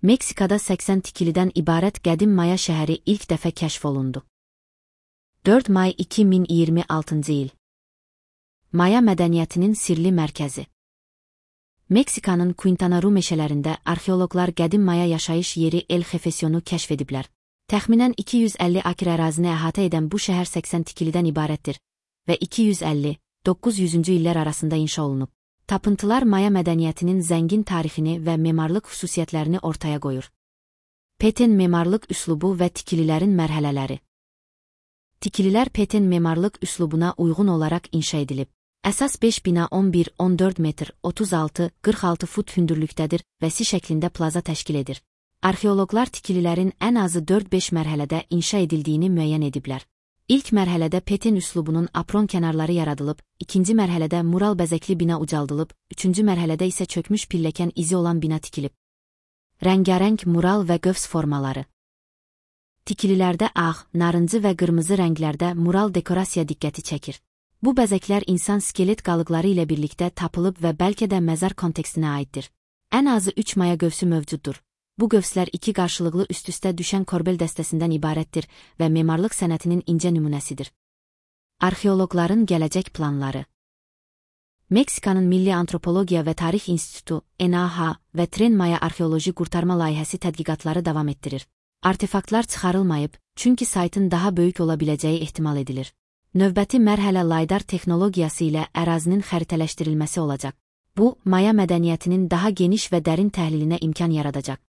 Meksikada 80 tikilidən ibarət qədim Maya şəhəri ilk dəfə kəşf olundu. 4 may 2026-cı il. Maya mədəniyyətinin sirli mərkəzi. Meksikanın Quintana Roo meşələrində arxeoloqlar qədim Maya yaşayış yeri El Jefesionu kəşf ediblər. Təxminən 250 akr ərazini əhatə edən bu şəhər 80 tikilidən ibarətdir və 250-900-cü illər arasında inşa olunub. Tapıntılar Maya mədəniyyətinin zəngin tarixini və memarlıq xüsusiyyətlərini ortaya qoyur. Peten memarlıq üslubu və tikililərin mərhələləri. Tikililər Peten memarlıq üslubuna uyğun olaraq inşa edilib. Əsas 5 bina 11-14 metr 36-46 fut hündürlükdədir və S şəklində plaza təşkil edir. Arxeoloqlar tikililərin ən azı 4-5 mərhələdə inşa edildiyini müəyyən ediblər. İlk mərhələdə Peten üslubunun apron kənarları yaradılıb, ikinci mərhələdə mural bəzəkli bina ucaldılıb, üçüncü mərhələdə isə çökmüş pilləkən izi olan bina tikilib. Rəngarəng mural və qövs formaları. Tikililərdə ağ, narıncı və qırmızı rənglərdə mural dekorasiya diqqəti çəkir. Bu bəzəklər insan skelet qalıqları ilə birlikdə tapılıb və bəlkə də məzar kontekstinə aiddir. Ən azı 3 Maya qövsü mövcuddur. Bu qövslər iki qarşılıqlı üst-üstə düşən korbel dəstəsindən ibarətdir və memarlıq sənətinin incə nümunəsidir. Arxeoloqların gələcək planları. Meksikanın Milli Antropologiya və Tarix İnstitutu, NAH və Tren Maya arxeoloji qurtarma layihəsi tədqiqatları davam etdirir. Artefaktlar çıxarılmayıb, çünki saytın daha böyük ola biləcəyi ehtimal edilir. Növbəti mərhələ laydar texnologiyası ilə ərazinin xəritələşdirilməsi olacaq. Bu, Maya mədəniyyətinin daha geniş və dərin təhlilinə imkan yaradacaq.